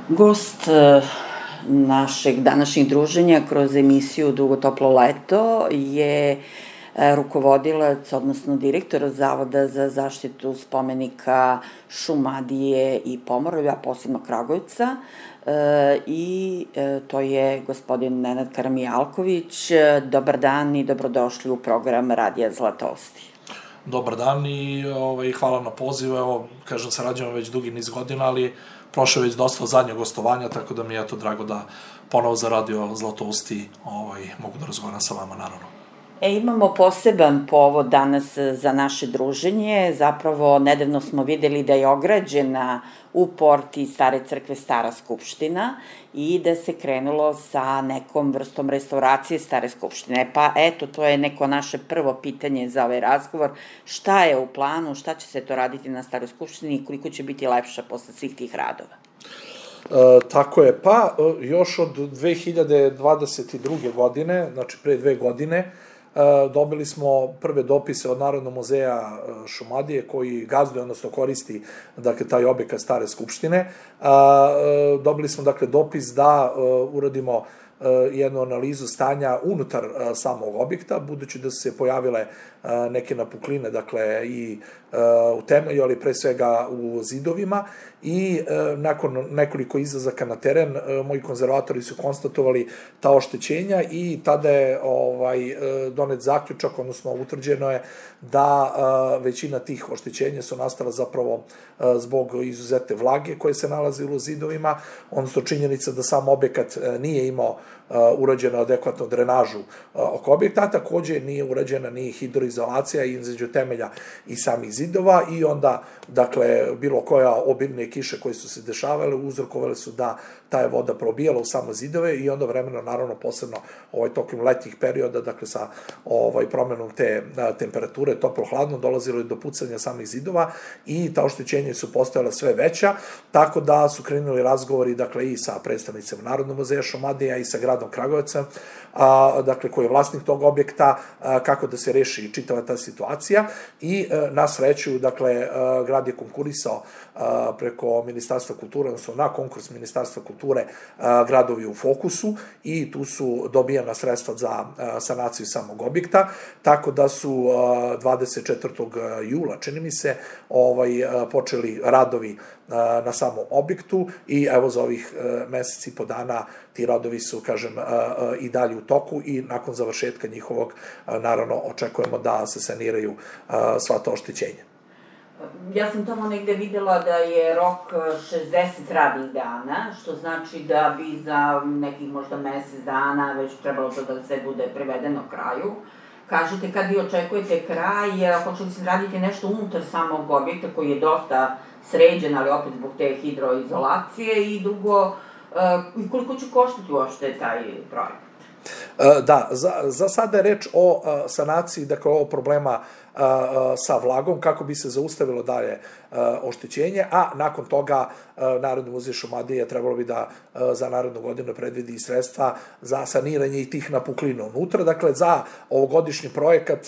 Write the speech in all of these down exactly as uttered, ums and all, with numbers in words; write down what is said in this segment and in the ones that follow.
Gost našeg današnjeg druženja kroz emisiju Dugo toplo leto je rukovodilac, odnosno direktor Zavoda za zaštitu spomenika Šumadije i Pomoravlja, posebno Kragujevca, i to je gospodin Nenad Karamijalković. Dobar dan i dobrodošli u program Radija Zlatousti. Dobar dan i hvala na pozivu. Evo, kažem, sarađujemo već dugi niz godina, ali prošlo je već dosta zadnje gostovanja, tako da mi je to drago da ponovo za Radio Zlatousti mogu da razgovaram sa vama, naravno. E, imamo poseban povod danas za naše druženje. Zapravo, nedavno smo videli da je ograđena u porti Stare crkve Stara skupština i da se krenulo sa nekom vrstom restauracije Stare skupštine. Pa eto, to je neko naše prvo pitanje za ovaj razgovor. Šta je u planu, šta će se to raditi na Staroj skupštini i koliko će biti lepša posle svih tih radova? Tako je, pa još od dve hiljade dvadeset druge. godine, znači pre dve godine, dobili smo prve dopise od Narodnog muzeja Šumadije koji gazduje, odnosno koristi taj objekat Stare skupštine. Dobili smo dakle dopis da uradimo jednu analizu stanja unutar samog objekta, budući da su se pojavile neke napukline, dakle, i u temelju, ali pre svega u zidovima, i nakon nekoliko izlazaka na teren, moji konzervatori su konstatovali ta oštećenja i tada je donet zaključak, odnosno utvrđeno je da većina tih oštećenja su nastala zapravo zbog izuzete vlage koje se nalazile u zidovima, odnosno činjenica da sam objekat nije imao urađenu adekvatnu drenažu oko objekta, takođe nije urađena ni hidroizolacija između temelja i samih zidova i onda, dakle, bilo koja obilne kiše koje su se dešavale uzrokovale su da ta je voda probijala u samo zidove i onda vremeno, naravno, posebno tokom letnjih perioda, dakle, sa promenom te temperature, toplo-hladno, dolazilo je do pucanja samih zidova i ta oštećenja su postojala sve veća, tako da su krenuli razgovori, dakle, i sa predstavnicima Narodnog muzeja Šumadija i sa gradom Kragujevcem, dakle, koji je vlasnik tog objekta, kako da se reši čitava ta situacija i na sreću, dakle, grad je konkurisao preko Ministarstva kulture, odnosno na konkurs Ministarstva kulture Gradovi u fokusu i tu su dobijana sredstva za sanaciju samog objekta, tako da su dvadeset četvrtog jula, čini mi se, počeli radovi na samom objektu i evo za ovih mesec i po dana ti radovi su, kažem, i dalje u toku i nakon završetka njihovog, naravno, očekujemo da se saniraju sva ta oštećenja. Ja sam tamo negde videla da je rok šezdeset radnih dana, što znači da bi za nekih možda mesec dana već trebalo to da sve bude privedeno kraju. Kažete, kad vi očekujete kraj, hoće li se raditi nešto unutar samog objekta koji je dosta sređen, ali opet zbog te hidroizolacije, i drugo, koliko će koštati uopšte taj projekat? Da, za sada je reč o sanaciji, dakle, ovog problema sa vlagom, kako bi se zaustavilo dalje oštećenje, a nakon toga Narodni muzej Šumadije trebalo bi da za narednu godinu predvidi i sredstva za saniranje i tih napuklina unutra. Dakle, za ovogodišnji projekat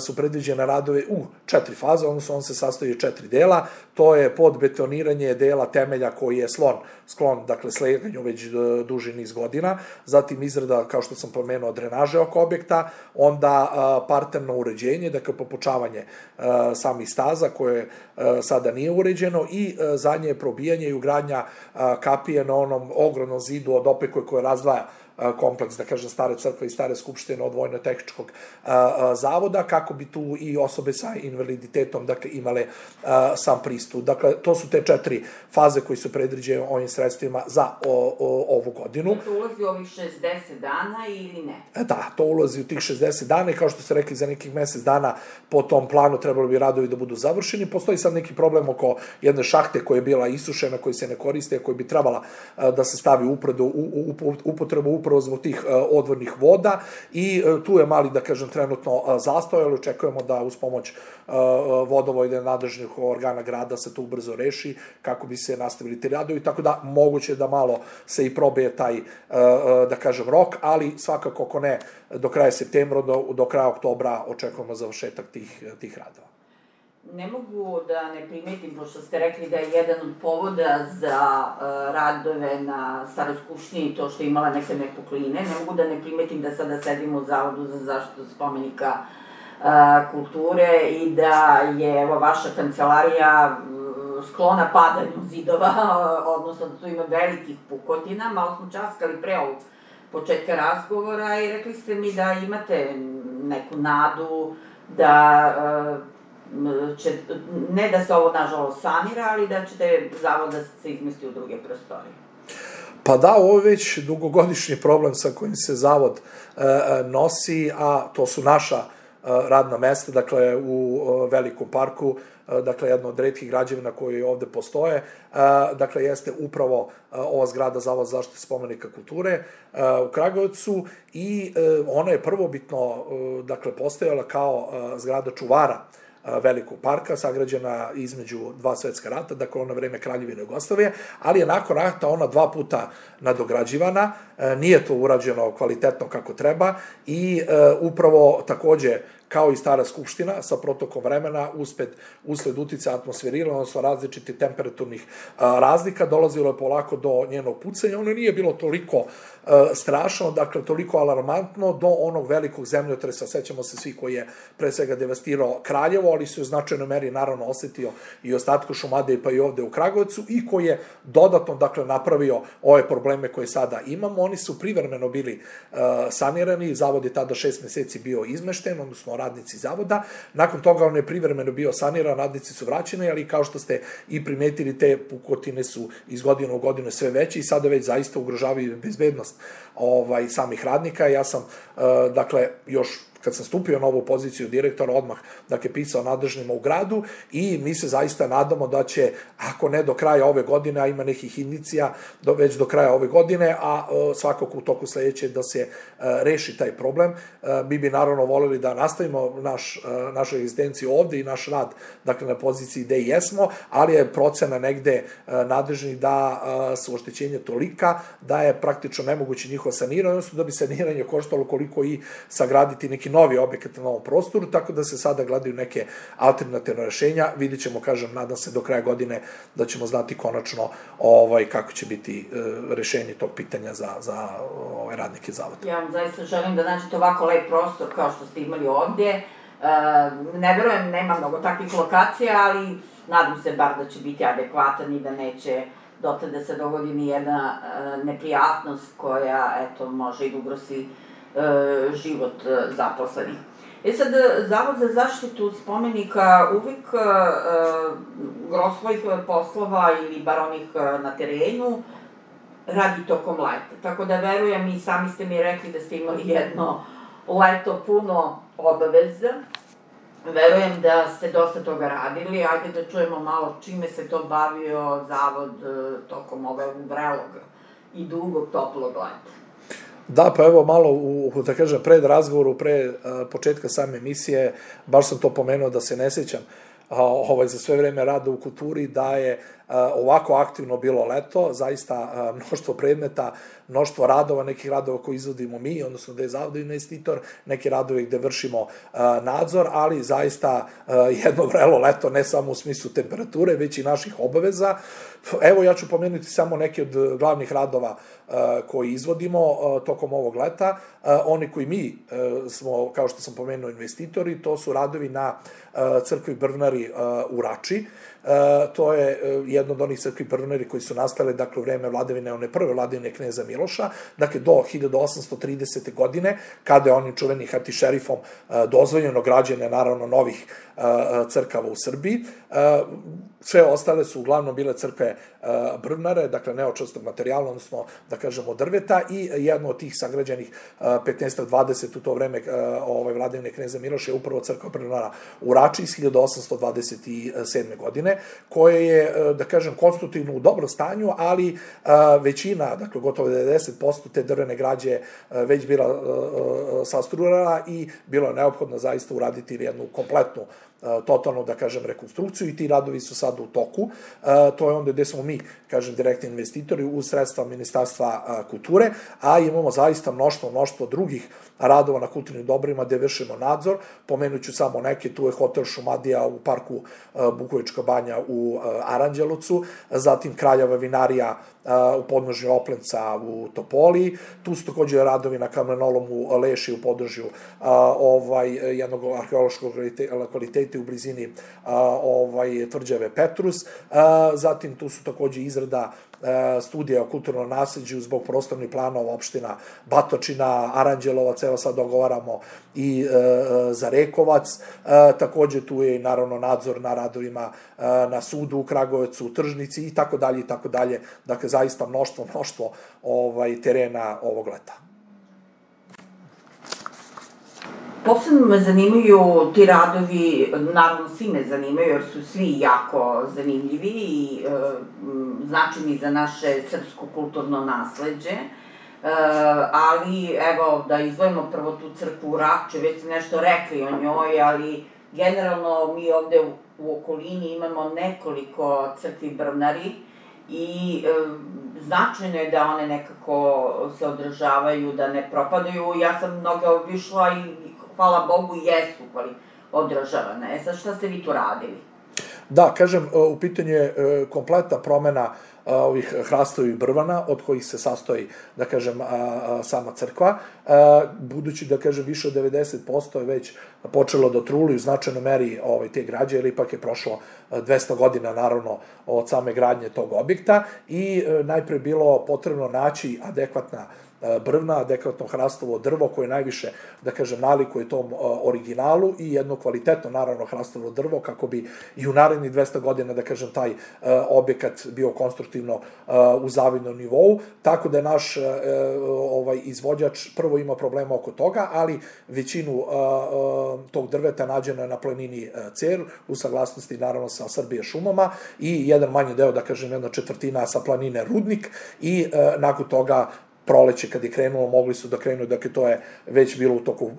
su predviđene radove u četiri faze, odnosno on se sastoji od četiri dela. To je podbetoniranje dela temelja koji je sklon, dakle, sleganju već duži niz godina, zatim izrada, kao što sam pomenuo, drenaže oko objekta, onda parterno uređenje, dakle, popučavanje samih staza koje sada nije uređeno i zadnje je probijanje i ugradnja kapije na onom ogromnom zidu od opekoj koje razdvaja kompleks, da kažem, Stare crkve i Stare skupštine od Vojno-tehničkog zavoda, kako bi tu i osobe sa invaliditetom, dakle, imale sam pristup. Dakle, to su te četiri faze koji su predviđene ovim sredstvima za ovu godinu. To ulazi u ovih šezdeset dana ili ne? Da, to ulazi u tih šezdeset dana i kao što ste rekli, za nekih mesec dana po tom planu trebalo bi radovi da budu završeni. Postoji sad neki problem oko jedne šahte koja je bila isušena, koja se ne koriste, koja bi trebala da se stavi u upotrebu upravo zbog tih odvodnih voda i tu je mali, da kažem, trenutno zastoj, ali očekujemo da uz pomoć vodovode nadležnih organa grada se to ubrzo reši kako bi se nastavili ti radovi, tako da moguće da malo se i probije taj, da kažem, rok, ali svakako ako ne do kraja septembra, do kraja oktobra očekujemo završetak tih radova. ne mogu da ne primetim, pošto ste rekli da je jedan od povoda za radove na Staroj skupštini to što je imala neke nepokline, ne mogu da ne primetim da sada sedimo u Zavodu za zaštitu spomenika kulture i da je vaša kancelarija sklona padanju zidova, odnosno da tu ima velikih pukotina. Malo smo časkali pre ovog početka razgovora i rekli ste mi da imate neku nadu da će, ne da se ovo nažalost sanira, ali da ćete zavod da se izmesti u druge prostorije. Pa da, ovo je već dugogodišnji problem sa kojim se zavod nosi, a to su naša radna mesta, dakle u Velikom parku, dakle jedno od retkih građevina koje ovde postoje, dakle jeste upravo ova zgrada Zavod za zaštitu spomenika kulture u Kragujevcu i ona je prvobitno, dakle, postojala kao zgrada čuvara Velikog parka, sagrađena između dva svetska rata, dakle ono vreme Kraljevine Jugoslavije, ali je nakon rata ona dva puta nadograđivana, nije to urađeno kvalitetno kako treba i upravo takođe kao i Stara skupština, sa protokom vremena, usled uticaja atmosferira, odnosno različitih temperaturnih razlika, dolazilo je polako do njenog pucanja. Ono nije bilo toliko strašno, dakle, toliko alarmantno, do onog velikog zemljotresa, sećamo se svi, koji je pre svega devastirao Kraljevo, ali su u značajnoj meri, naravno, osetio i ostatku Šumadije, pa i ovde u Kragujevcu, i koji je dodatno, dakle, napravio ove probleme koje sada imamo. Oni su privremeno bili sanirani, zavod je tada šest meseci bio izmešten, odnosno radnici zavoda. Nakon toga on je privremeno bio saniran, radnici su vraćeni, ali kao što ste i primetili, te pukotine su iz godine u godinu sve veće i sada već zaista ugrožavaju bezbednost samih radnika. Ja sam, dakle, još kad sam stupio na ovu poziciju direktora, odmah, dakle, pisao nadležnima u gradu i mi se zaista nadamo da će, ako ne do kraja ove godine, a ima nekih indicija, već do kraja ove godine, a svakako u toku sledeće da se reši taj problem. Mi bi naravno voleli da nastavimo našu egzistenciju ovde i naš rad, dakle, na poziciji gde i jesmo, ali je procena negde nadležnih da su oštećenja tolika da je praktično nemoguće njihovo saniranje, odnosno da bi saniranje koštalo koliko i sagraditi neki novi objekat na novom prostoru, tako da se sada gledaju neke alternativne rešenja. Vidit ćemo, kažem, nadam se do kraja godine da ćemo znati konačno kako će biti rešenje tog pitanja za radnike zavoda. Ja vam zaista želim da nađete ovako lep prostor kao što ste imali ovdje. Ne verujem, nema mnogo takvih lokacija, ali nadam se bar da će biti adekvatan i da neće dotle da se dogodi ni jedna neprijatnost koja, eto, može i da ugrozi život zaposlenih. E sad, Zavod za zaštitu spomenika uvijek gro svojih poslova, ili bar onih na terenu, radi tokom leta. Tako da verujem, i sami ste mi rekli da ste imali jedno leto puno obaveza. Verujem da ste dosta toga radili. Ajde da čujemo malo čime se to bavio Zavod tokom ovog vrelog i dugog toplog leta. Da, pa evo malo, da kažem, pred razgovoru, pre početka same emisije, baš sam to pomenuo da se ne sećam za sve vreme rada u kulturi, da je ovako aktivno bilo leto, zaista mnoštvo predmeta, mnoštvo radova, nekih radova koje izvodimo mi, odnosno da je zavod investitor, neki radovi gde vršimo nadzor, ali zaista jedno vrelo leto, ne samo u smislu temperature, već i naših obaveza. Evo, ja ću pomenuti samo neke od glavnih radova koji izvodimo tokom ovog leta. Oni koji mi smo, kao što sam pomenuo, investitori, to su radovi na crkvi Brvnari u Rači. To je jedno od onih crkvi Brvnari koji su nastale, dakle, u vreme vladavine, one prve vladavine kneza Miloša, dakle, do hiljadu osamsto tridesete. godine, kada je onim čuvenim hatišerifom dozvoljeno građenje, naravno, novih crkava u Srbiji. Sve ostale su uglavnom bile crkve Brvnare, dakle, neočvrstog materijala, odnosno, da kažemo, drveta, i jedno od tih sagrađenih petnaest dvadeset u to vreme vladavine kneza Miloša je upravo crkva Brvnara u Rači iz hiljadu osamsto dvadeset sedme. godine, koje je, da kažem, konstruktivno u dobrom stanju, ali većina, dakle, gotovo devedeset posto te drvene građe već bila sastruirana i bilo je neophodno zaista uraditi jednu kompletnu totalno, da kažem, rekonstrukciju i ti radovi su sad u toku. To je onda gde smo mi, kažem, direktni investitori uz sredstva Ministarstva kulture, a imamo zaista mnoštvo, mnoštvo drugih radova na kulturnim dobrima gde vršimo nadzor. Pomenuću samo neke, tu je hotel Šumadija u parku Bukovička banja u Aranđelovcu, zatim Kraljeva vinarija u podnožju Oplenca u Topoli, tu su takođe radovi na kamenolomu Leši u podnožju jednog arheološkog lokaliteta u blizini tvrđave Petrus, zatim tu su takođe izrada studija o kulturnom nasleđu zbog prostornih planova opština Batočina, Aranđelovac, evo sad dogovaramo i za Rekovac, takođe tu je i naravno nadzor na radovima na sudu u Kragujevcu, u Tržnici i tako dalje i tako dalje, dakle zaista mnoštvo, mnoštvo terena ovog leta. Posebno me zanimaju ti radovi, naravno svi me zanimaju jer su svi jako zanimljivi i značajni za naše srpsko kulturno nasleđe, ali evo da izdvojimo prvo tu crkvu u Rači, već ste nešto rekli o njoj, ali generalno mi ovde u okolini imamo nekoliko crkvi Brvnari i značajno je da one nekako se održavaju, da ne propadaju. Ja sam mnoge obišla i hvala Bogu, jesu održavane. E sad, šta ste vi tu radili? Da, kažem, u pitanju je kompletna promena ovih hrastovih brvana, od kojih se sastoji, da kažem, sama crkva. Budući, da kažem, više od devedeset posto je već počelo da truli u značajnoj meri te građe, jer ipak je prošlo dvesta godina, naravno, od same gradnje tog objekta i najpre bilo potrebno naći adekvatna brvna, adekvatno hrastovo drvo koje najviše, da kažem, nalikuje tom originalu i jedno kvalitetno, naravno, hrastovo drvo kako bi i u narednih dvesta godina, da kažem, taj objekat bio konstruktivno u zavidnom nivou, tako da je naš izvođač prvo ima problema oko toga, ali većinu tog drveta nađeno je na planini Cer, u saglasnosti, naravno, sa Srbije šumama i jedan manji deo, da kažem, jedna četvrtina sa planine Rudnik i nakon toga proleće kad je krenulo, mogli su da krenu, dakle to je već bilo u toku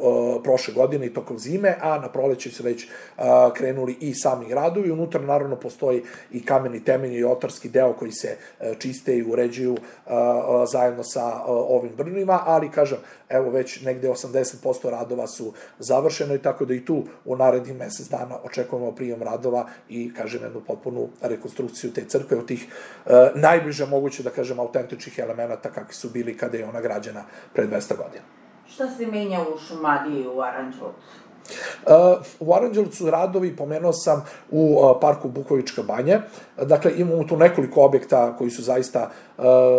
prošle godine i tokom zime, a na proleće su već krenuli i sami radovi. Unutra naravno postoji i kameni temelj i otarski deo koji se čiste i uređuju zajedno sa ovim brvnima, ali kažem, evo već negde osamdeset posto radova su završeno i tako da i tu u narednih mesec dana očekujemo prijem radova i, kažem, jednu potpunu rekonstrukciju te crkve od tih najbliže moguće, da kažem, autentičnih elemenata kakvi su bili kada je ona građena pre dvesta godina. Šta se menja u Šumadiji u Aranđelovcu? U Aranđelovcu radovi, pomenuo sam, u parku Bukovička banja. Dakle, imamo tu nekoliko objekta koji su zaista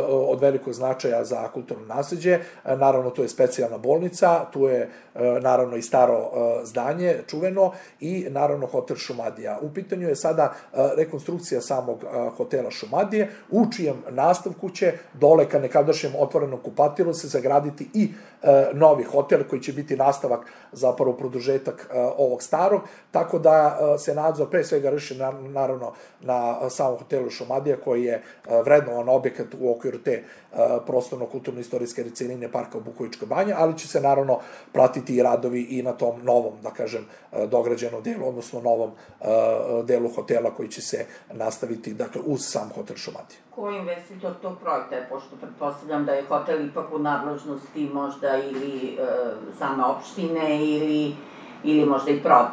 od velikog značaja za kulturno nasleđe. Naravno, tu je specijalna bolnica, tu je naravno i staro zdanje, čuveno, i naravno hotel Šumadija. U pitanju je sada rekonstrukcija samog hotela Šumadije, u čijem nastavku će dole ka nekadašnjem otvorenom kupatilu se zagraditi i novi hotel koji će biti nastavak, zapravo produžetak ovog starog, tako da se nadzor pre svega vrši naravno na samom hotelu Šumadija koji je vrednovan objekat u okviru te prostorno-kulturno-istorijske celine parka Bukovička banja, ali će se naravno pratiti i radovi i na tom novom, da kažem, dograđenom delu, odnosno novom delu hotela koji će se nastaviti, dakle, uz sam hotel Šumadija. Ko je investitor tog projekta je, pošto pretpostavljam da je hotel ipak u nadležnosti možda ili same opštine ili ili možda i prodat?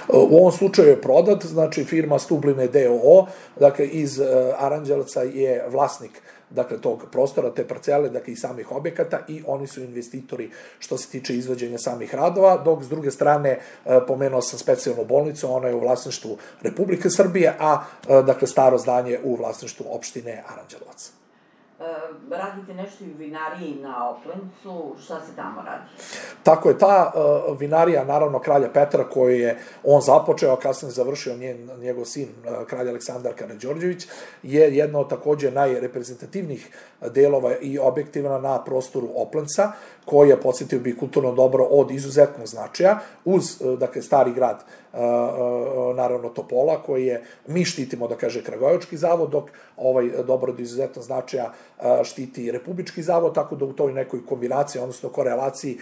U ovom slučaju je prodat, znači firma Stubline d o o, dakle iz Aranđelovca je vlasnik, dakle, tog prostora, te parcele, dakle, i samih objekata i oni su investitori što se tiče izvođenja samih radova, dok s druge strane pomenuo sam specijalnu bolnicu, ona je u vlasništvu Republike Srbije, a, dakle, staro zdanje u vlasništvu opštine Aranđelovac. Radite nešto i u vinariji na Oplencu, šta se tamo radi? Tako je, ta vinarija, naravno, kralja Petra, koju je on započeo, a kasnije završio njegov sin, kralj Aleksandar Karađorđević, je jedna od takođe najreprezentativnijih delova i objektiva na prostoru Oplenca, koji je, podsjetio bi, kulturno dobro od izuzetnog značaja, uz, dakle, stari grad naravno Topola, koji je, mi štitimo, da kaže, Kragujevački zavod, dok ovaj dobro od izuzetno značaja štiti Republički zavod, tako da u toj nekoj kombinaciji, odnosno korelaciji,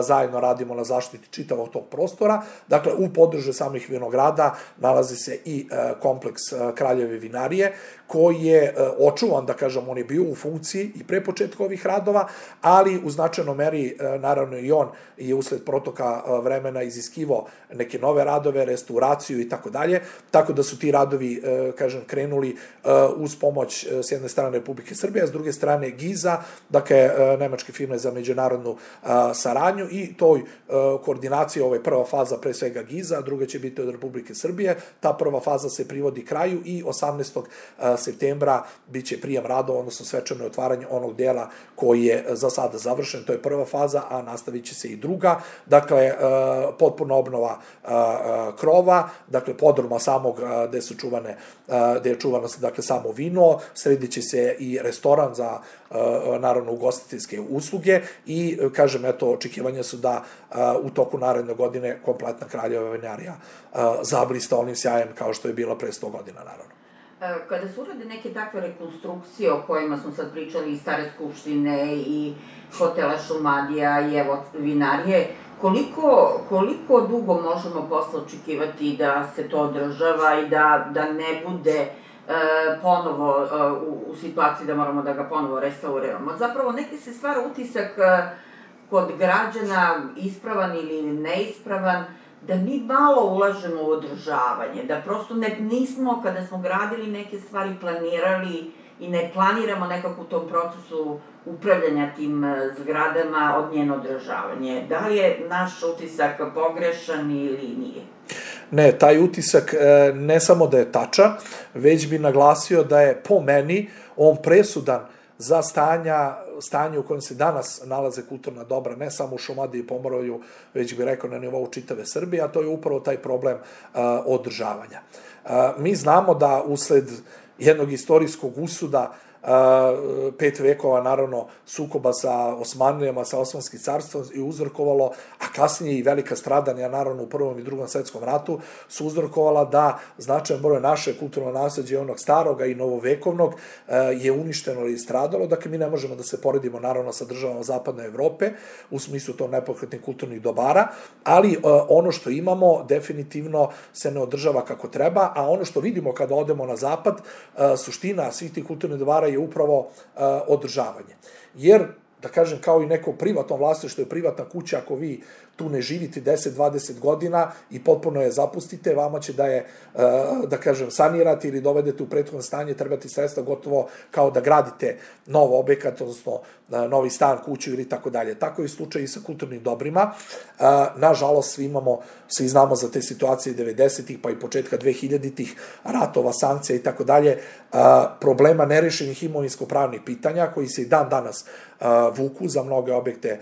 zajedno radimo na zaštiti čitavog tog prostora. Dakle, u području samih vinograda nalazi se i kompleks Kraljeve vinarije, koji je očuvan, da kažem, on je bio u funkciji i pre početka ovih radova, ali u značajnoj meri, naravno i on je usled protoka vremena iziskivao neke nove radove, restauraciju i tako dalje, tako da su ti radovi, kažem, krenuli uz pomoć s jedne strane Republike Srbije, a s druge strane Giza, dakle, nemačke firme za međunarodnu saradnju, i toj koordinaciji, ovo je prva faza pre svega Giza, a druga će biti od Republike Srbije. Ta prva faza se privodi kraju i osamnaestog septembra biće prijem radova, odnosno svečano otvaranje onog dela koji je za sada završen, to je prva faza, a nastavit će se i druga, dakle, potpuno obnova krova, dakle, podruma samog gde su čuvane, gde je čuvano, dakle, samo vino, sredit će se i restoran za, naravno, ugostiteljske usluge i, kažem, eto, očekivanja su da u toku naredne godine kompletna Kraljeva vinarija zablista onim sjajem kao što je bila pre sto godina, naravno. Kada se urade neke takve rekonstrukcije o kojima smo sad pričali, i Stare skupštine, i hotela Šumadija, i evo vinarije, koliko, koliko dugo možemo posle očekivati da se to održava i da, da ne bude e, ponovo e, u, u situaciji da moramo da ga ponovo restauriramo? Zapravo, neki se stvara utisak e, kod građana, ispravan ili neispravan, da mi malo ulažemo u održavanje, da prosto ne, nismo, kada smo gradili neke stvari, planirali i ne planiramo nekako u tom procesu upravljanja tim zgradama od njeno održavanje. Da li je naš utisak pogrešan ili nije? Ne, taj utisak ne samo da je tačan, već bi naglasio da je po meni on presudan za stanja, stanje u kojem se danas nalaze kulturna dobra, ne samo u Šumadiji i Pomoravlju, već bih rekao na nivou čitave Srbije, a to je upravo taj problem uh, održavanja. Uh, mi znamo da usled jednog istorijskog usuda pet vekova, naravno, sukoba sa Osmanlijama, sa Osmanskim carstvom i uzrokovalo, a kasnije i velika stradanja, naravno, u Prvom i Drugom svetskom ratu, su uzrokovala da značajan broj naše kulturno nasleđe, onog staroga i novovekovnog, je uništeno ili stradalo. Dakle, mi ne možemo da se poredimo, naravno, sa državama Zapadne Evrope, u smislu to nepokretnih kulturnih dobara, ali ono što imamo definitivno se ne održava kako treba, a ono što vidimo kada odemo na zapad, suština svih tih kulturnih dobara je upravo uh, održavanje. Jer, da kažem, kao i neko privatno vlasništvo je privatna kuća, ako vi tu ne živite deset do dvadeset godina i potpuno je zapustite, vama će da je, uh, da kažem, sanirati ili dovedete u prethodno stanje, trebati sredstva gotovo kao da gradite nov objekat, odnosno uh, novi stan, kuću ili tako dalje. Tako je slučaj i sa kulturnim dobrima. Uh, nažalost, svi imamo, svi znamo za te situacije devedesetih pa i početka dvehiljaditih, ratova, sankcija i tako dalje, problema nerešenih imovinsko-pravnih pitanja koji se i dan danas uh, vuku za mnoge objekte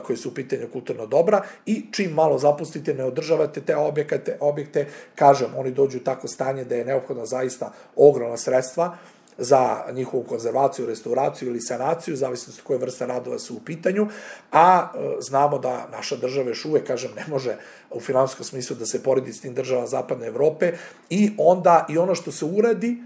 koji su u pitanju kulturno dobra, i čim malo zapustite, ne održavate te objekte, objekte, kažem, oni dođu u tako stanje da je neophodno zaista ogromna sredstva za njihovu konzervaciju, restauraciju ili sanaciju, zavisno koje vrste radova su u pitanju, a e, znamo da naša država još uvek, kažem, ne može u finansijskom smislu da se poredi s tim državama Zapadne Evrope, i onda i ono što se uradi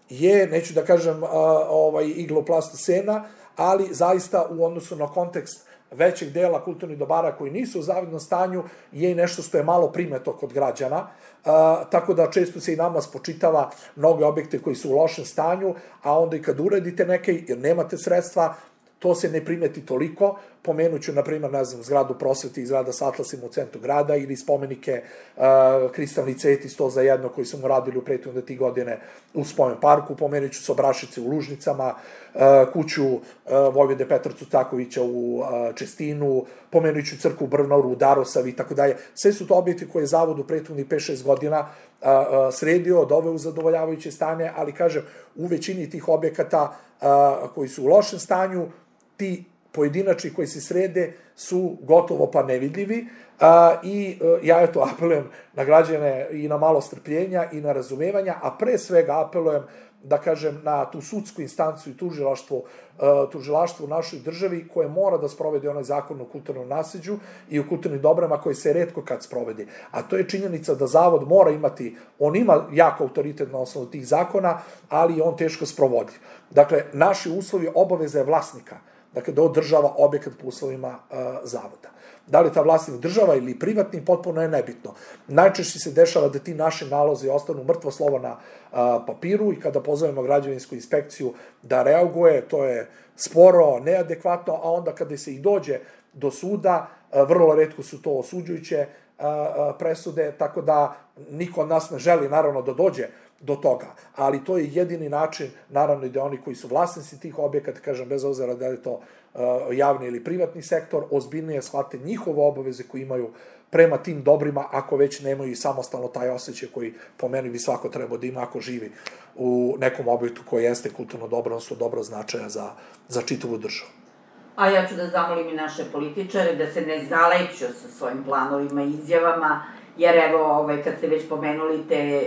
je, neću da kažem, a, ovaj, igloplastocena, ali zaista u odnosu na kontekst većeg dela kulturnih dobara koji nisu u zavidnom stanju je i nešto što je malo primeto kod građana, uh, tako da često se i nama spočitava mnoge objekte koji su u lošem stanju, a onda i kad uradite neke, jer nemate sredstva, to se ne primeti toliko. Pomenuću, na primjer, ne znam, zgradu prosvete i zgrada s atlasima u centru grada, ili spomenike uh, Kristalni cvet i sto za jedno koji smo radili u prethodne tri godine u Spomen parku, pomenuću Sobrašice u Lužnicama, uh, kuću uh, Vojvode Petra Cutakovića u uh, Čestinu, pomenuću crkvu Brvnaru u Darosavi i tako dalje. Sve su to objekti koje je zavod u prethodnih pet šest godina uh, uh, sredio, doveo u zadovoljavajuće stanje, ali, kažem, u većini tih objekata uh, koji su u lošem stanju, ti pojedinačni koji se srede su gotovo pa nevidljivi, a, i a, ja eto apelujem na građane i na malo strpljenja i na razumevanja, a pre svega apelujem da kažem, na tu sudsku instancu i tužilaštvo, tužilaštvo u našoj državi koje mora da sprovede onaj zakon o kulturnom nasleđu i o kulturnim dobrama koji se retko kad sprovede. A to je činjenica da zavod mora imati, on ima jako autoritet na osnovu tih zakona, ali on teško sprovodi. Dakle, naši uslovi obaveza je vlasnika, dakle, da održava objekat po uslovima zavoda. Da li ta vlasnik država ili privatni, potpuno je nebitno. Najčešće se dešava da ti naši nalozi ostanu mrtvo slovo na papiru i kada pozovemo građevinsku inspekciju da reaguje, to je sporo, neadekvatno, a onda kada se i dođe do suda, vrlo retko su to osuđujuće presude, tako da niko od nas ne želi, naravno, da dođe do toga, ali to je jedini način, naravno i da oni koji su vlasnici tih objekata, kažem, bez obzira da je to javni ili privatni sektor, ozbiljnije shvate njihove obaveze koje imaju prema tim dobrima, ako već nemaju i samostalno taj osjećaj koji po meni bi svako trebao da ima ako živi u nekom objektu koji jeste kulturno dobro, odnosno dobro značaja za, za čitavu državu. A ja ću da zamolim i naše političare da se ne zaleću sa svojim planovima i izjavama, jer evo, kad ste već pomenuli te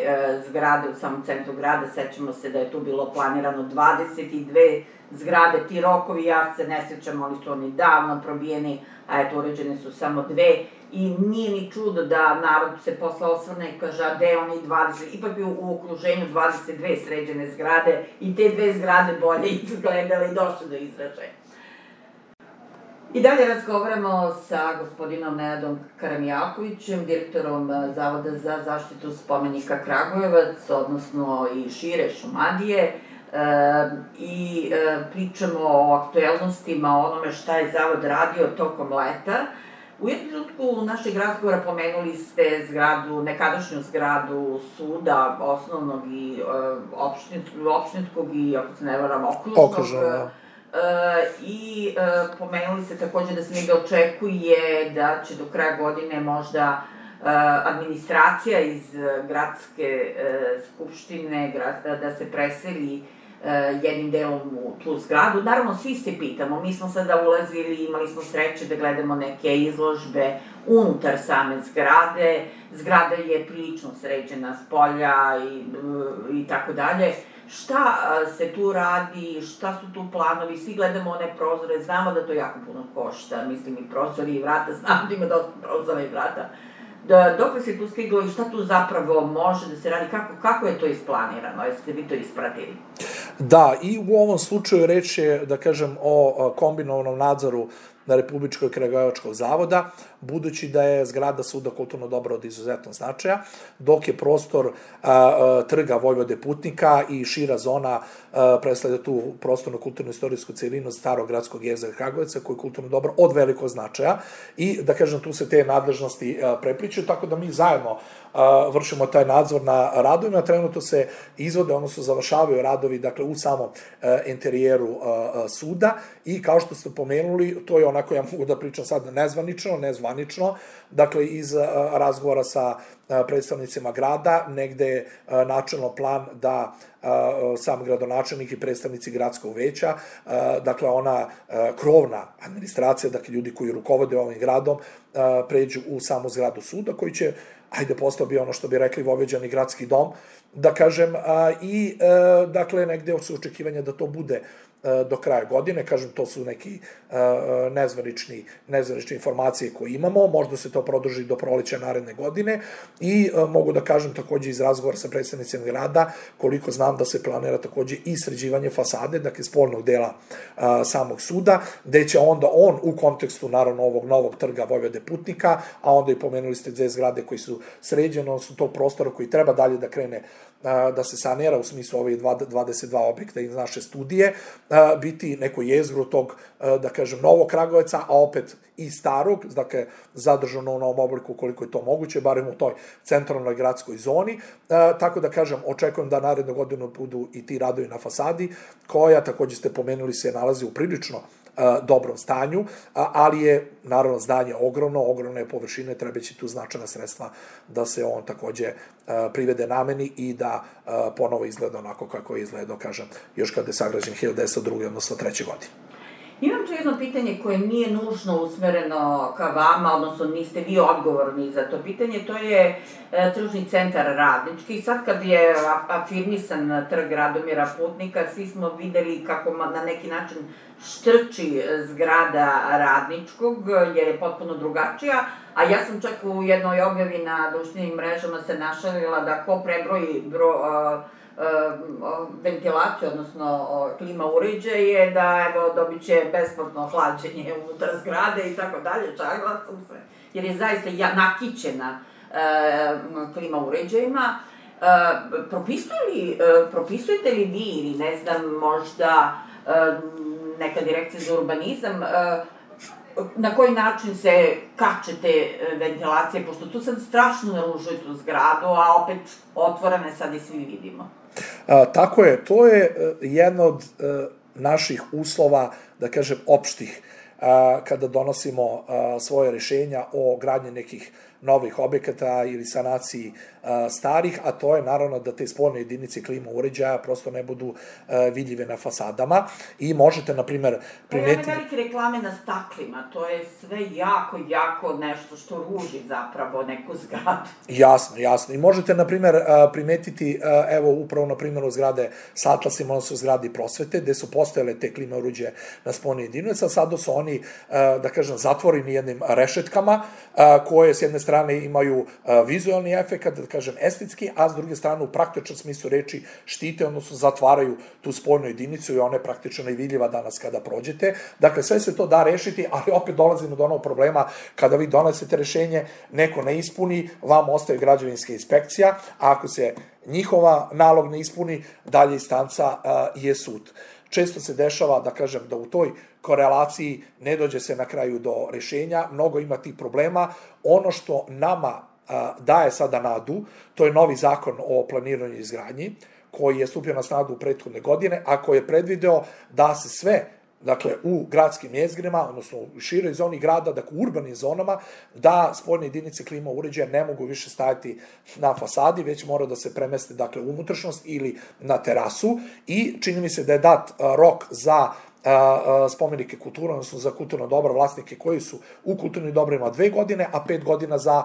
zgrade u samom centru grada, sećamo se da je tu bilo planirano dvadeset dve zgrade, ti rokovi, ja se ne sećam, oni su oni davno probijeni, a eto, uređene su samo dve, i nije ni čudo da narod se posle osvrne i kaže, a gde oni dvadeset, ipak bi u okruženju dvadeset dve sređene zgrade i te dve zgrade bolje izgledale i došle do izražaja. I dalje razgovaramo sa gospodinom Nenadom Karamijakovićem, direktorom Zavoda za zaštitu spomenika Kragujevac, odnosno i šire Šumadije, i pričamo o aktuelnostima, o onome šta je Zavod radio tokom leta. U jednom trenutku našeg razgovora pomenuli ste zgradu, nekadašnju zgradu suda, osnovnog i opštinskog i, ako se ne varam, okružnog. I pomenuli ste takođe da se negde očekuje da će do kraja godine možda administracija iz gradske skupštine da se preseli jednim delom u tu zgradu. Naravno, svi se pitamo, mi smo sada ulazili, imali smo sreće da gledamo neke izložbe unutar same zgrade, zgrada je prilično sređena s polja i tako dalje. Šta se tu radi, šta su tu planovi, svi gledamo one prozore, znamo da to jako puno košta, mislim i prozori i vrata, znamo da ima dosta prozora i vrata. Dok se tu stiglo i šta tu zapravo može da se radi, kako je to isplanirano, jeste vi to ispratili? Da, i u ovom slučaju reč je, da kažem, o kombinovanom nadzoru na Republičkog kragujevačkog zavoda, budući da je zgrada suda kulturno dobro od izuzetnog značaja, dok je prostor trga Vojvode Putnika i šira zona predstavlja tu prostorno kulturno-istorijsku celinu starog gradskog jezera Kragujevca, koji je kulturno dobro od velikog značaja i, da kažem, tu se te nadležnosti prepliču, tako da mi zajedno vršimo taj nadzor na radovima. Trenutno se izvode, odnosno završavaju radovi, dakle, u samom interijeru suda i, kao što ste pomenuli, to je onako, ja mogu da pričam sad nezvanično, nezvanično, dakle, iz razgovora sa predstavnicima grada, negde je načelno plan da sam gradonačelnik i predstavnici gradskog veća, dakle, ona krovna administracija, dakle, ljudi koji rukovode ovim gradom, pređu u samu zgradu suda, koji će, ajde, postao bi ono što bi rekli voveđani gradski dom, da kažem, i, dakle, negde su očekivanja da to bude do kraja godine, kažem, to su neki nezvanični, nezvanične informacije koje imamo, možda se to produži do proleća naredne godine i mogu da kažem takođe iz razgovora sa predstavnicima grada, koliko znam da se planira takođe i sređivanje fasade, dakle, spoljnog dela samog suda, gde će onda on u kontekstu, naravno, ovog novog trga Vojvode Putnika, a onda i pomenuli ste dve zgrade koji su sređene, odnosno tog prostora koji treba dalje da krene da se sanira u smislu ovih dvadeset dva objekta iz naše studije, biti neko jezgro tog, da kažem, novog Kragujevca, a opet i starog, dakle, zadržano u novom obliku koliko je to moguće, barem u toj centralnoj gradskoj zoni, tako da kažem, očekujem da narednu godinu budu i ti radovi na fasadi, koja, takođe ste pomenuli, se nalazi u prilično dobrom stanju, ali je, naravno, zdanje ogromno, ogromne površine, trebaće tu značajna sredstva da se on takođe privede nameni i da ponovo izgleda onako kako je izgledao, kažem, još kada je sagrađen hiljadu devetsto druge, odnosno treće godine. Imam tu jedno pitanje koje nije nužno usmereno ka vama, odnosno niste vi odgovorni za to pitanje, to je e, tržni centar Radnički. Sad kad je afirmisan trg Radomira Putnika, svi smo videli kako na neki način štrči zgrada Radničkog, jer je potpuno drugačija, a ja sam čak u jednoj objavi na društvenim mrežama se našalila da ko prebroji bro, a, ventilaciju, odnosno klima uređaje, da evo dobit će besplatno hlađenje unutar zgrade i tako dalje, čagla sam se, jer je zaista nakićena klima uređajima. Propisujete li vi ili ne znam, možda neka direkcija za urbanizam, na koji način se kačete ventilacije, pošto tu sad strašno naružuje tu zgradu, a opet otvorene sad i svi vidimo. Tako je, to je jedna od naših uslova, da kažem, opštih, kada donosimo svoje rešenja o gradnji nekih novih objekata ili sanaciji starih, a to je naravno da te spoljne jedinice klima uređaja prosto ne budu vidljive na fasadama i možete, na primer, primetiti... Pa ja velike reklame na staklima, to je sve jako, jako nešto što ruži zapravo neku zgradu. Jasno, jasno. I možete, na primer, primetiti, evo, upravo na primjeru zgrade sa Atlasima, odnosno zgradi prosvete, gde su postojale te klima uređaje na spoljne jedinice, a sada su oni, da kažem, zatvoreni jednim rešetkama, koje s jedne strane imaju vizualni efekt, da kažem estetski, a s druge strane u praktičnom smislu reči štite, odnosno zatvaraju tu spoljnu jedinicu i ona je praktično nevidljiva danas kada prođete. Dakle, sve se to da rešiti, ali opet dolazimo do onog problema kada vi donesete rešenje, neko ne ispuni, vam ostaje građevinska inspekcija, a ako se njihova nalog ne ispuni, dalje instanca je sud. Često se dešava, da kažem, da u toj korelaciji ne dođe se na kraju do rešenja, mnogo ima tih problema. Ono što nama daje sada nadu, to je novi zakon o planiranju i izgradnji, koji je stupio na snagu u prethodne godine, a koji je predvideo da se sve, dakle, u gradskim jezgrima, odnosno u široj zoni grada, dakle u urbanim zonama, da spoljne jedinice klima uređaja ne mogu više stajati na fasadi, već mora da se premeste, dakle, u unutrašnjost ili na terasu i čini mi se da je dat rok za spomenike kulture, odnosno za kulturno dobro, vlasnike koji su u kulturnim dobrima dve godine, a pet godina za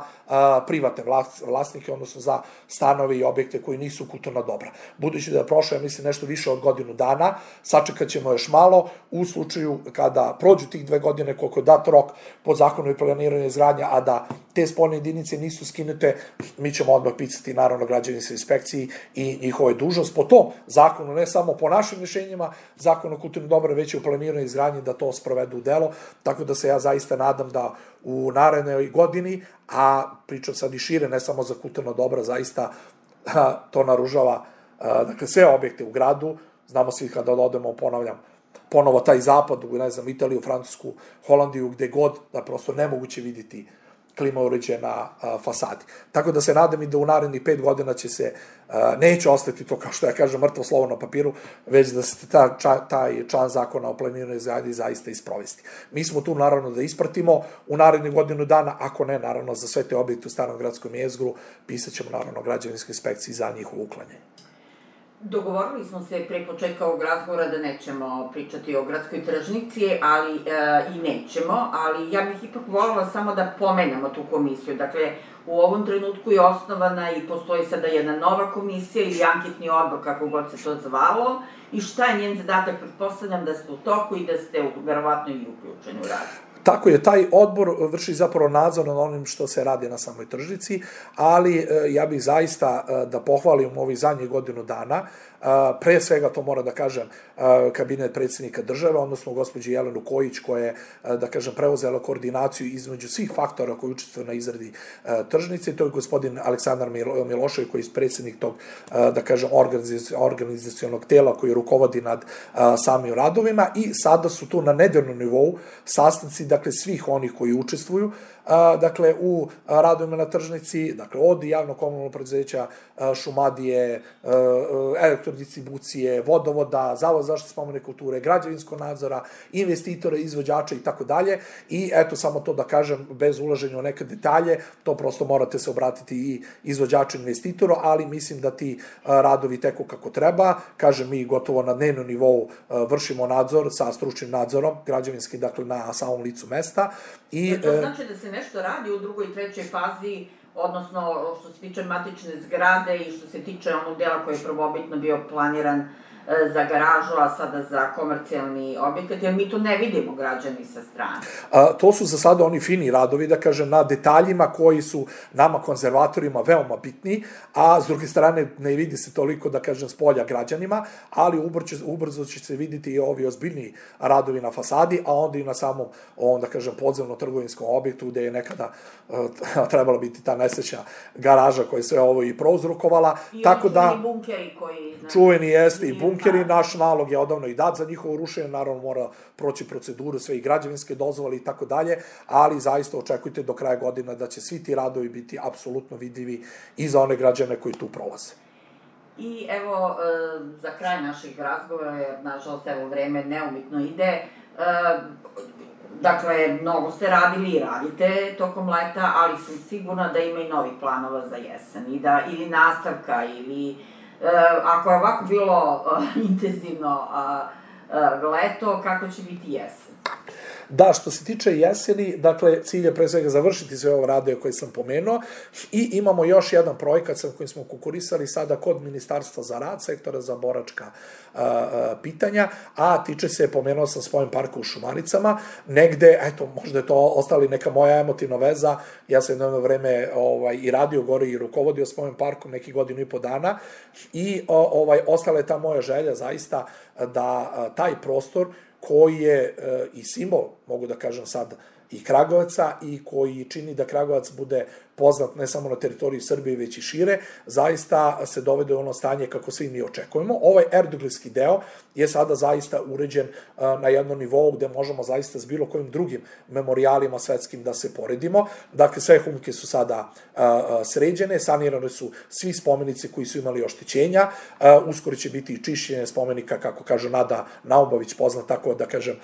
privatne vlasnike, odnosno za stanove i objekte koji nisu kulturna dobra. Budući da je prošlo, ja mislim, nešto više od godinu dana, sačekat ćemo još malo, u slučaju kada prođu tih dve godine, koliko je dat rok po zakonu i planiranju izgradnja, a da te spoljne jedinice nisu skinute, mi ćemo odmah pisati, naravno, građevinskoj inspekciji i njihove dužnost po tom zakonu, ne samo po našim rešenjima, zakon o kulturnim dobrima, već u planiranju izgradnji da to sprovedu u delo, tako da se ja zaista nadam da u narednoj godini, a pričam sad i šire, ne samo za kulturno dobro, zaista to naružava, dakle, sve objekte u gradu, znamo svi kada odemo, ponavljam, ponovo taj zapad, ne znam, Italiju, Francusku, Holandiju, gde god, da prosto nemoguće vidjeti klima uređaje na fasadi. Tako da se nadam i da u narednih pet godina će se, neće ostati to, kao što ja kažem, mrtvo slovo na papiru, već da se taj član zakona o planiranju izgradnji zaista isprovesti. Mi smo tu, naravno, da ispratimo u narednih godinu dana, ako ne, naravno, za sve te objekte u starom gradskom jezgru, pisat ćemo, naravno, građevinskoj inspekciji za njihovo uklanjanje. Dogovorili smo se pre početka ovog razgovora da nećemo pričati o gradskoj tržnici, ali i nećemo, ali ja bih ipak voljela samo da pomenemo tu komisiju. Dakle, u ovom trenutku je osnovana i postoji sada jedna nova komisija ili anketni odbor, kako god se to zvalo, i šta je njen zadatak? Pretpostavljam da ste u toku i da ste verovatno i uključeni u rad. Tako je, taj odbor vrši zapravo nadzor nad onim što se radi na samoj tržnici, ali ja bih zaista da pohvalim ovih zadnjih godinu dana, pre svega to mora da kažem kabinet predsjednika države, odnosno gospođi Jelenu Kojić, koja je, da kažem, preuzela koordinaciju između svih faktora koji učestvuju na izradi tržnice, to je gospodin Aleksandar Milošević, koji je predsjednik tog, da kažem, organizacionog tela koji rukovodi nad samim radovima i sada su tu na nedeljnom nivou sastanci, dakle, svih onih koji učestvuju, dakle, u radovima na tržnici, dakle, od javno komunalnog preduzeća, Šumadije, Elektro elektrodistribucije, vodovoda, Zavod za zaštitu spomenika kulture, građevinskog nadzora, investitora, izvođača i tako dalje. I eto, samo to da kažem, bez ulaženja u neke detalje, to prosto morate se obratiti i izvođaču, investitoru, ali mislim da ti radovi teku kako treba. Kažem, mi gotovo na dnevnom nivou vršimo nadzor sa stručnim nadzorom, građevinski, dakle, na samom licu mesta. I, to znači da se nešto radi u drugoj i trećoj fazi, odnosno što se tiče matične zgrade i što se tiče onog dela koji je prvobitno bio planiran za garažu, a sada za komercijalni objekat, jer mi tu ne vidimo građani sa strane. To su za sada oni fini radovi, da kažem, na detaljima koji su nama konzervatorima veoma bitni, a s druge strane ne vidi se toliko, da kažem, s polja građanima, ali ubrzo će se vidjeti i ovi ozbiljni radovi na fasadi, a onda i na samom, da kažem, podzemno-trgovinskom objektu gde je nekada trebala biti ta nesrećna garaža koja je sve ovo i prouzrokovala. I oni čuveni bunkeri koji... Čuveni jeste i bunkeri, naš nalog je odavno i dat za njihovo rušenje, naravno mora proći proceduru, sve i građevinske dozvole i tako dalje, ali zaista očekujte do kraja godina da će svi ti radovi biti apsolutno vidljivi i za one građane koji tu prolaze. I evo, za kraj naših razgovora, jer nažalost evo vreme neumitno ide, dakle, mnogo ste radili i radite tokom leta, ali sam sigurna da ima i novih planova za jesen, ili nastavka, ili... Ako je ovako bilo intenzivno leto, kako će biti jesen? Da, što se tiče jeseni, dakle, cilj je pre svega završiti sve ovo radove koje sam pomenuo i imamo još jedan projekat sa kojim smo konkurisali sada kod Ministarstva za rad, sektora za boračka pitanja, a tiče se, pomenuo sam Spomen parka u Šumaricama, negde, eto, možda je to ostali neka moja emotivna veza, ja sam jedno vreme i radio gore i rukovodio Spomen parkom neki godinu i po dana i ostala je ta moja želja zaista da taj prostor koji je i simbol, mogu da kažem sad, i Kragujevca i koji čini da Kragujevac bude poznat ne samo na teritoriji Srbije, već i šire, zaista se dovede u ono stanje kako svi mi očekujemo. Ovaj erdoglijski deo je sada zaista uređen na jednom nivou gde možemo zaista s bilo kojim drugim memorijalima svetskim da se poredimo. Dakle, sve humke su sada sređene, sanirane su svi spomenici koji su imali oštećenja, uskoro će biti i čišćenje spomenika, kako kaže Nada Naubović, poznat tako da kažem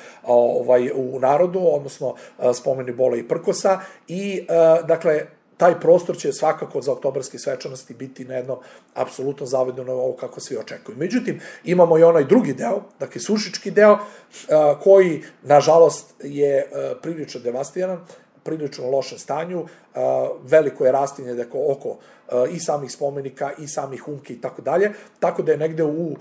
u narodu, odnosno spomeni Bola i Prkosa i, dakle, taj prostor će svakako za oktobarske svečanosti biti na jednom apsolutno zavedeno ovo kako svi očekuju. Međutim, imamo i onaj drugi deo, dakle Sušički deo, koji, nažalost, je prilično devastiran, prilično u lošem stanju, veliko je rastinje oko i samih spomenika i samih humki i tako dalje, tako da je negde u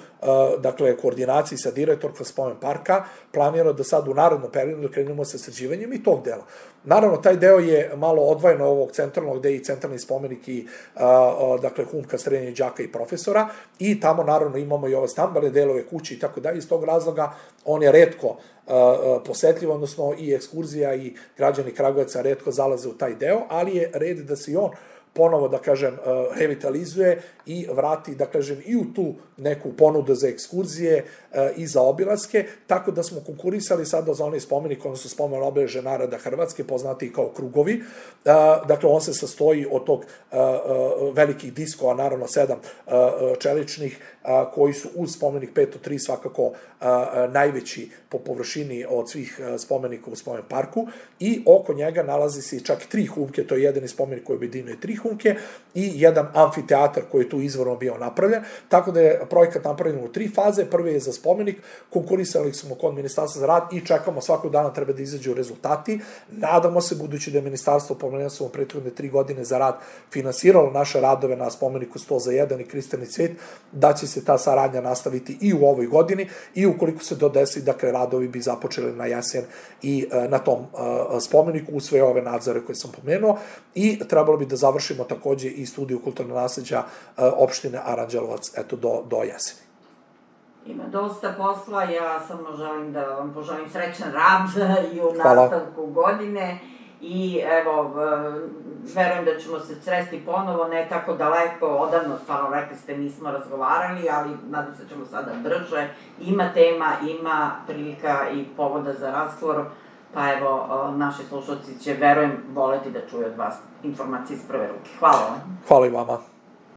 koordinaciji sa direktorkom Spomen parka planirano da sad u narednom periodu krenemo sa sređivanjem i tog dela. Naravno, taj deo je malo odvojeno ovog centralnog, gde je i centralni spomenik i dakle humka, srednje đaka i profesora i tamo naravno imamo i ove stambene delove kuće i tako dalje. Iz tog razloga on je retko posetljiv, odnosno i ekskurzija i građani Kragujevca retko zalaze u taj deo, ali je red da se i on ponovo, da kažem, revitalizuje i vrati, da kažem, i u tu neku ponudu za ekskurzije i za obilaske, tako da smo konkurisali sada za onaj spomenik, odnosno spomen obeležja naroda Hrvatske, poznati kao krugovi. Dakle, on se sastoji od tog velikih diskova, naravno sedam čeličnih, koji su uz spomenik petsto tri svakako najveći po površini od svih spomenika u Spomen parku i oko njega nalazi se čak tri humke, to je jedan spomenik koji objedinjuje tri humke i jedan amfiteatar koji je tu izvorno bio napravljen, tako da je projekat napravljen u tri faze. Prvi je za spomenik, konkurisali smo kod Ministarstva za rad i čekamo, svakog dana treba da izađu rezultati. Nadamo se, budući da je Ministarstvo, pomenuo sam u prethodne tri godine za rad, finansiralo naše radove na spomeniku sto za jedan i Kristalni cvet, da će se ta saradnja nastaviti i u ovoj godini i ukoliko se to desi, dakle, radovi bi započeli na jesen i na tom spomeniku u sve ove nadzore koje sam pomenuo i trebalo bi da završimo takođe i studiju kulturnog nasleđa opštine Aranđelovac, eto, do jeseni. Ima dosta posla, ja samo želim da vam poželim srećan rad i u nastavku godine i evo, verujem da ćemo se sresti ponovo, ne tako daleko, odavno, stvarno rekli ste, nismo razgovarali, ali nadam se da ćemo sada brže. Ima tema, ima prilika i povoda za razgovor, pa evo, naši slušalci će, verujem, voleti da čuju od vas informacije iz prve ruke. Hvala vam. Hvala i vama.